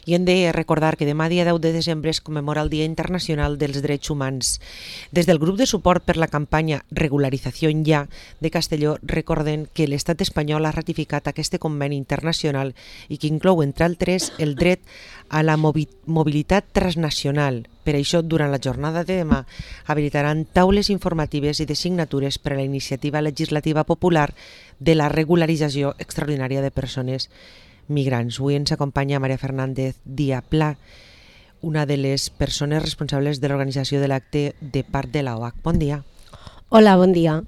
I hem de recordar que demà, dia 10 de desembre, es commemora el Dia Internacional dels Drets Humans. Des del grup de suport per la campanya Regularización Ya de Castelló recorden que l'estat espanyol ha ratificat aquest conveni internacional i que inclou, entre altres, el dret a la mobilitat transnacional. Per això, durant la jornada de demà, habilitaran taules informatives i de signatures per a la iniciativa legislativa popular de la regularització extraordinària de persones migrants. Avui ens acompanya Maria Fernández Díaz-Pla, una de les persones responsables de l'organització de l'acte de part de la OAC. Bon dia. Hola, bon dia.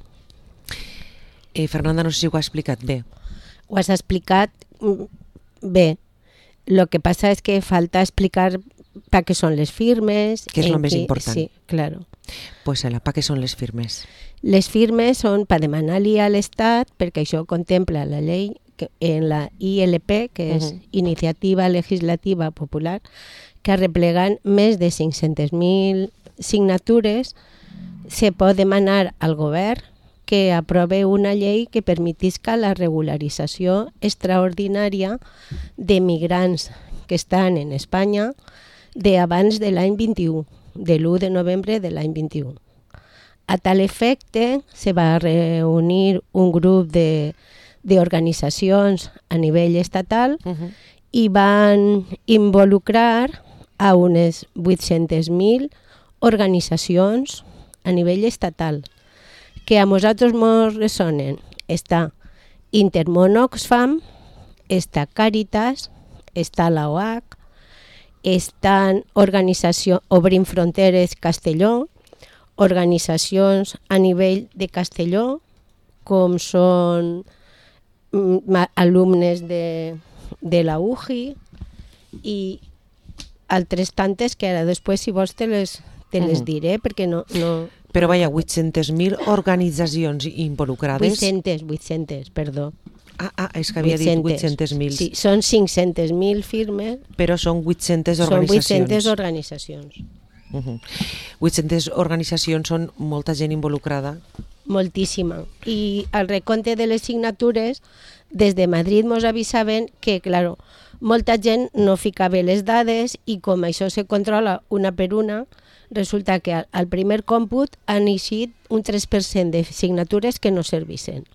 Fernanda, no sé si ho ha explicat bé. Ho has explicat bé. Lo que pasa es que falta explicar para qué son les firmes. Que és el més important. Sí, claro. Pues para què són les firmes? Les firmes són per demanar-li a l'Estat, perquè això contempla la llei en la ILP, que és Iniciativa Legislativa Popular, que arreplegant més de 500.000 signatures, se pot demanar al govern que aprove una llei que permetisca la regularització extraordinària de migrants que estan en Espanya d'abans de l'any 21, de l'1 de novembre de l'any 21. A tal efecte, se va reunir un grup d'organitzacions a nivell estatal i van involucrar a unes 800.000 organitzacions a nivell estatal, que a nosaltres ens ressonen. Està Intermón Oxfam, està Càritas, està la OAC, estan organització Obrim Fronteres Castelló, organitzacions a nivell de Castelló, com són alumnes de la UJI i altres tantes que ara després, si vols, te les diré, perquè no... Però vaja, 800.000 organitzacions involucrades... 800, perdó. És que havia dit 800.000. Sí, són 500.000 firmes. Però són 800 organitzacions. Són 800 organitzacions. 800 organitzacions són molta gent involucrada. Moltíssima. I al recompte de les signatures, des de Madrid ens avisaven que, claro, molta gent no ficava les dades i com això se controla una per una, resulta que al primer còmput han eixit un 3% de signatures que no servissen.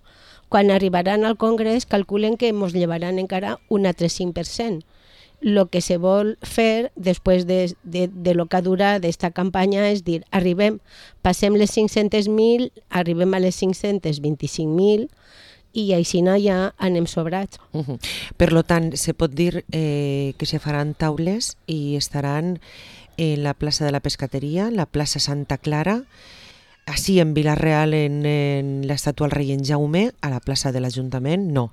Quan arribaran al Congrés calculen que ens llevaran encara un altre 5%. El que se vol fer després de lo que ha durat aquesta campanya és dir, passem les 500.000, arribem a les 525.000 i així ja anem sobrats. Per tant, se pot dir que se faran taules i estaran en la plaça de la Pescateria, la plaça Santa Clara, així en Vila-real, en l'estàtua al rei en Jaume, a la plaça de l'Ajuntament, no.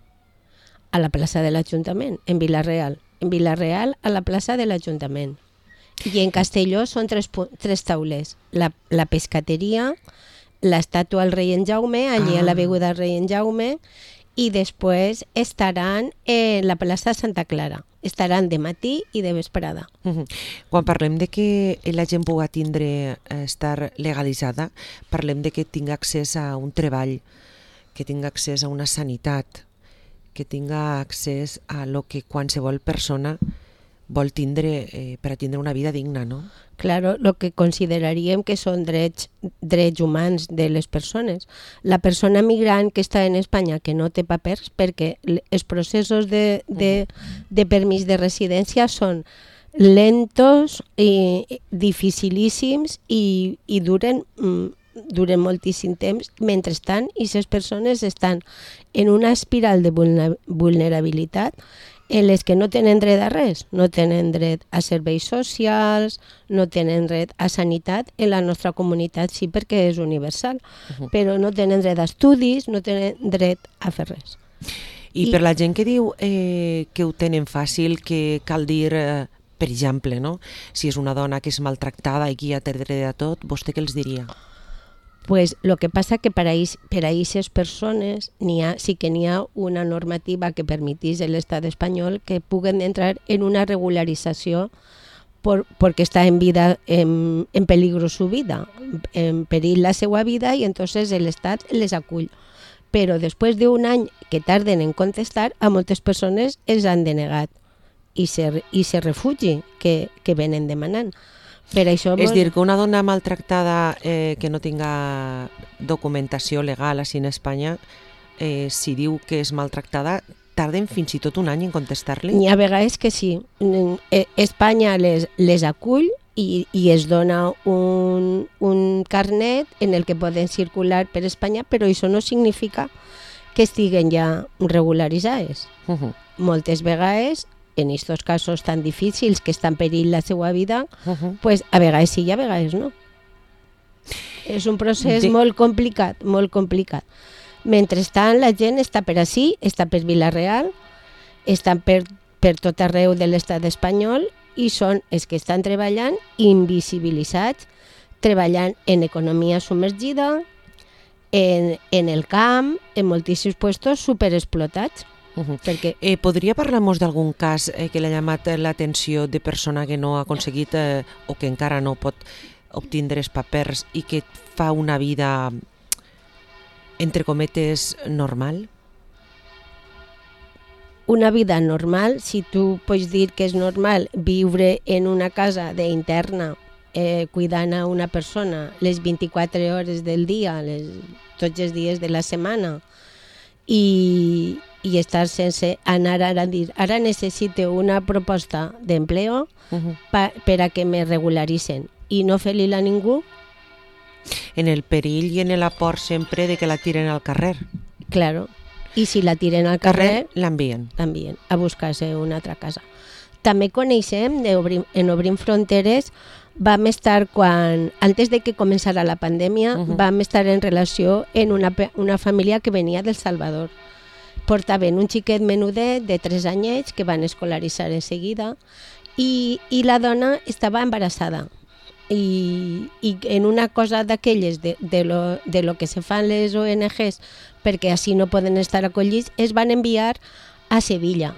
A la plaça de l'Ajuntament, en Vila-real. En Vila-real, a la plaça de l'Ajuntament. I en Castelló són tres taules. La Pescateria, l'estàtua al rei en Jaume, allí a l'avinguda del rei en Jaume, i després estaran en la plaça Santa Clara. Estaran de matí i de vesprada. Quan parlem de que la gent pugui tindre, estar legalitzada, parlem de que tingui accés a un treball, que tingui accés a una sanitat, que tinga accés a lo que qualsevol persona vol tindre per a tindre una vida digna, no? Claro, lo que consideraríem que són drets humans de les persones. La persona migrant que està en Espanya que no té papers, perquè els processos de permís de residència són lentos i dificilíssims i duren moltíssim temps. Mentrestant, aquestes persones estan en una espiral de vulnerabilitat en les que no tenen dret a res, no tenen dret a serveis socials, no tenen dret a sanitat, en la nostra comunitat sí perquè és universal, però no tenen dret a estudis, no tenen dret a fer res. I per la gent que diu que ho tenen fàcil, que cal dir, per exemple, no? Si és una dona que és maltractada i que ja té dret a tot, vostè què els diria? Pues lo que pasa que per a aquestes persones sí que n'hi ha una normativa que permetís a l'estat espanyol que puguen entrar en una regularització porque está en peligro su vida, en perill la seva vida, i entonces l'Estat les acull. Però després d'un any que tarden en contestar, a moltes persones els han denegat. i se refugi que venen demanant. Per això És dir, que una dona maltractada que no tinga documentació legal així en Espanya, si diu que és maltractada, tarden fins i tot un any en contestar-li? Hi ha vegades que sí. Espanya les acull i es dona un carnet en el que poden circular per Espanya, però això no significa que estiguen ja regularitzades. Moltes vegades, en aquests casos tan difícils que està en perill la seva vida, pues a vegades sí i a vegades no. És un procés molt complicat, molt complicat. Mentrestant, la gent està per ací, està per Vila-real, estan per tot arreu de l'estat espanyol i són els que estan treballant invisibilitzats, treballant en economia submergida, en el camp, en moltíssims puestos superexplotats. Perquè... Podria parlar-nos d'algun cas que l'ha llamat l'atenció de persona que no ha aconseguit o que encara no pot obtindre els papers i que fa una vida, entre cometes, normal? Una vida normal, si tu pots dir que és normal viure en una casa d'interna cuidant a una persona les 24 hores del dia, tots els dies de la setmana, i estar sense anar a dir ara necessito una proposta d'empleo per a que me regularitzen i no fer-li-la a ningú. En el perill i en l'aport sempre de que la tiren al carrer. Claro. I si la tiren al carrer, l'envien a buscar-se una altra casa. També coneixem, en Obrim Fronteres, vam estar antes de que començara la pandèmia, vam estar en relació en una família que venia del Salvador. Portaven un xiquet menudet de 3 anyets que van escolaritzar en seguida i la dona estava embarassada. I en una cosa d'aquelles de lo que se fan les ONGs perquè així no poden estar acollits, es van enviar a Sevilla.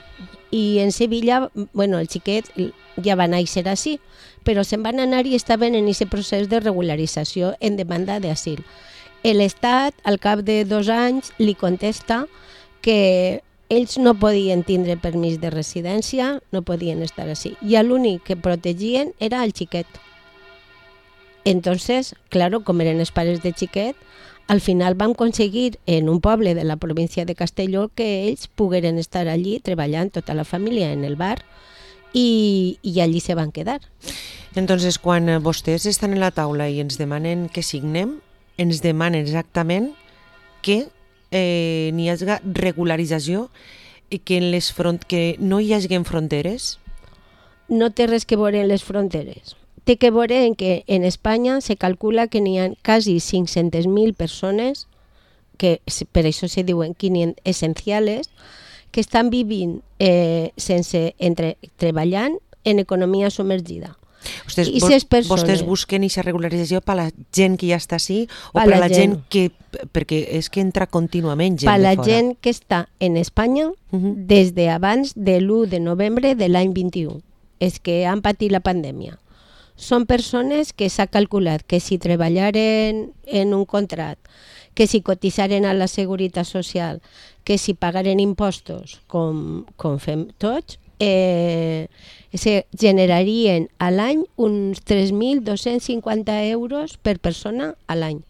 I en Sevilla, bueno, el xiquet ja va néixer així, però se'n van anar i estaven en aquest procés de regularització en demanda d'asil. L'Estat, al cap de 2 anys, li contesta que ells no podien tindre permís de residència, no podien estar així. I l'únic que protegien era el xiquet. Entonces, claro, com eren els pares de xiquet, al final vam aconseguir en un poble de la província de Castelló que ells pogueren estar allí treballant tota la família en el bar i allí se van quedar. Entonces, quan vostès estan en la taula i ens demanen que signem, ens demanen exactament que n'hi hagi regularització i que no hi hagi fronteres? No té res que veure en les fronteres. Té que veure en que en Espanya se calcula que n'hi ha quasi 500.000 persones, que per això se diuen 500 essenciales, que estan vivint treballant en economia submergida. Vostès busquen aquesta regularització per la gent que ja està així o per la gent que... perquè és que entra contínuament gent de fora. Per la gent que està en Espanya des d'abans de l'1 de novembre de l'any 21, és que han patit la pandèmia. Són persones que s'ha calculat que si treballaren en un contracte, que si cotitzaren a la Seguretat Social, que si pagaren impostos, com fem tots, se generarien a l'any uns 3.250 euros per persona a l'any.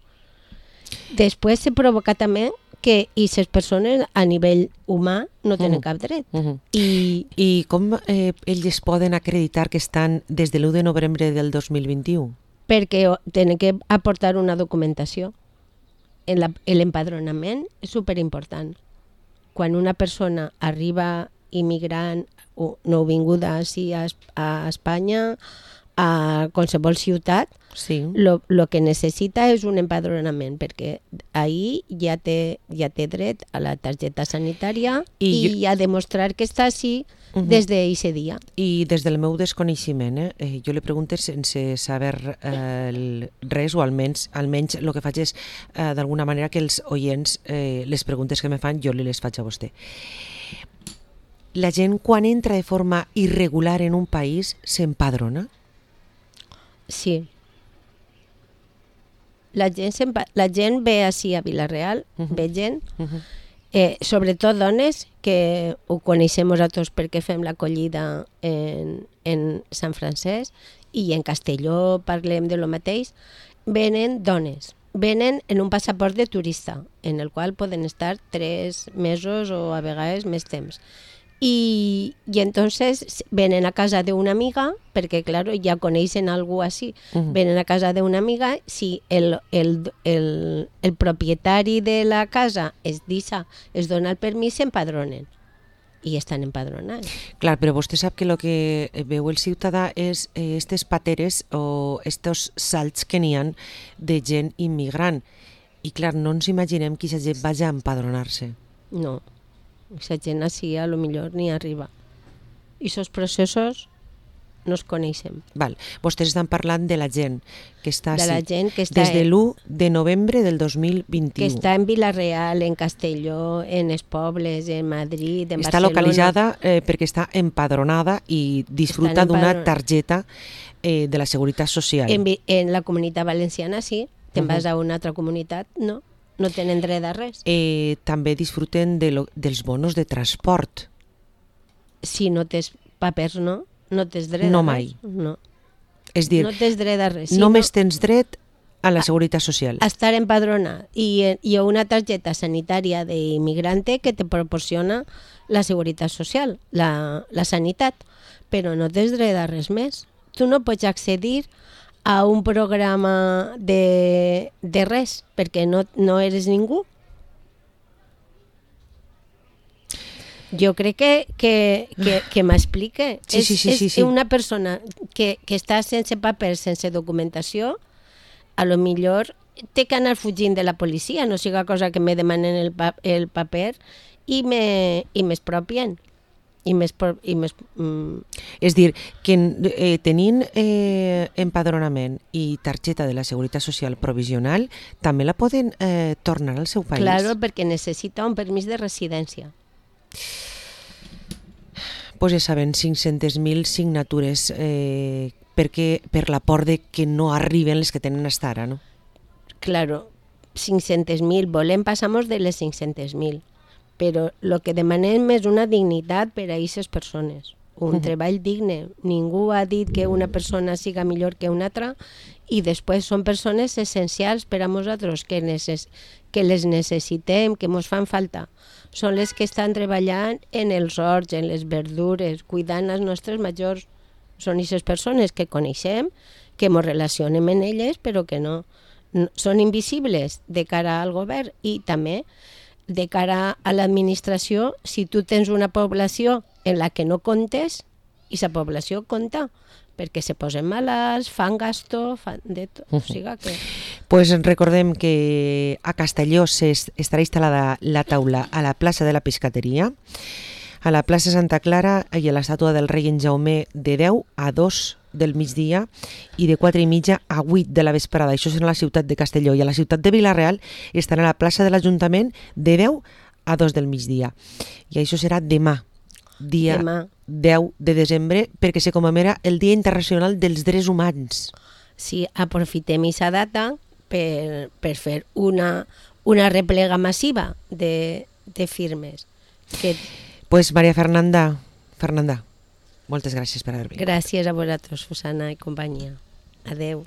Després se provoca també que aquestes persones a nivell humà no tenen cap dret. I com ells poden acreditar que estan des de l'1 de novembre del 2021? Perquè tenen que aportar una documentació. L'empadronament és superimportant. Quan una persona arriba immigrant o nouvinguda a Espanya, a qualsevol ciutat, lo que necessita és un empadronament, perquè ahí ja té dret a la targeta sanitària i a demostrar que està així des d'aquest dia. I des del meu desconeixement, jo li pregunto sense saber res, o almenys el que faig és d'alguna manera que els oients, les preguntes que me fan, jo les faig a vostè. La gent, quan entra de forma irregular en un país, s'empadrona? Sí. La gent ve així a Vila-real, ve gent, Sobretot dones, que ho coneixem nosaltres perquè fem l'acollida en Sant Francesc i en Castelló parlem de lo mateix, venen dones. Venen en un passaport de turista, en el qual poden estar 3 mesos o a vegades més temps. Y entonces vienen a casa de una amiga, porque claro, ya conocen algo así, vienen a casa de una amiga, si el propietari de la casa es dona el permís, s'empadronen i estan empadronats. Clar, però vostè sap que el que veu el ciutadà és aquestes pateres o estos salts que n'hi ha de gent immigrant. I clar, no ens imaginem que aquesta gent vagi a empadronar-se. No. Aquesta gent així a lo millor ni arriba. I aquests processos no els coneixem. Val. Vostès estan parlant de la gent que està de la així, gent que està des de l'1 de novembre del 2021. Que està en Vila-real, en Castelló, en els pobles, en Madrid, en està Barcelona. Localitzada perquè està empadronada i disfruta d'una targeta de la Seguretat Social. En la Comunitat Valenciana sí, te'n vas a una altra comunitat, no tenen dret a res. També disfruten dels bonos de transport. Si no tens papers, no tens dret a res. No mai. No. És dir, no tens dret a res. Només tens dret a la Seguretat Social. A estar empadronat i a una targeta sanitària d'immigrante que te proporciona la Seguretat Social, la sanitat, però no tens dret a res més. Tu no pots accedir a un programa de res, perquè no eres ningú. Jo crec que m'explique. Sí. És una persona que està sense papers, sense documentació, a lo millor té que anar fugint de la policia, no siga cosa que me demanen el paper i m'expropien. És dir, que tenint empadronament i targeta de la Seguretat Social provisional, també la poden tornar al seu país. Claro, perquè necessita un permís de residència. Pues ja saben, 500.000 signatures per la por de que no arriben les que tenen hasta ara, no? Claro, 500.000, volem passar-nos de les 500.000. Però el que demanem és una dignitat per a aquestes persones, un treball digne. Ningú ha dit que una persona siga millor que una altra i després són persones essencials per a nosaltres, que les necessitem, que ens fan falta. Són les que estan treballant en els horts, en les verdures, cuidant els nostres majors. Són aquestes persones que coneixem, que ens relacionem amb elles, però que no són invisibles de cara al govern i també de cara a l'administració. Si tu tens una població en la que no comptes, i la població compta, perquè se posen malalts, fan gasto, fan de tot. O sigui que... Pues recordem que a Castelló estarà instal·lada la taula a la plaça de la Pescateria, a la plaça Santa Clara i a l'estàtua del rei en Jaume de 10 a 2 del migdia i de 4:30 a 8 de la vesprada. Això serà a la ciutat de Castelló, i a la ciutat de Vila-real estarà a la plaça de l'Ajuntament de 10 a 2 del migdia. I això serà demà, dia 10 de desembre, perquè se commemora el Dia Internacional dels Drets Humans. Sí, aprofitem aquesta data per fer una replega massiva de firmes. Pues Maria Fernanda, moltes gràcies per haver vingut. Gràcies a vosaltres, Susana i companyia. Adeu.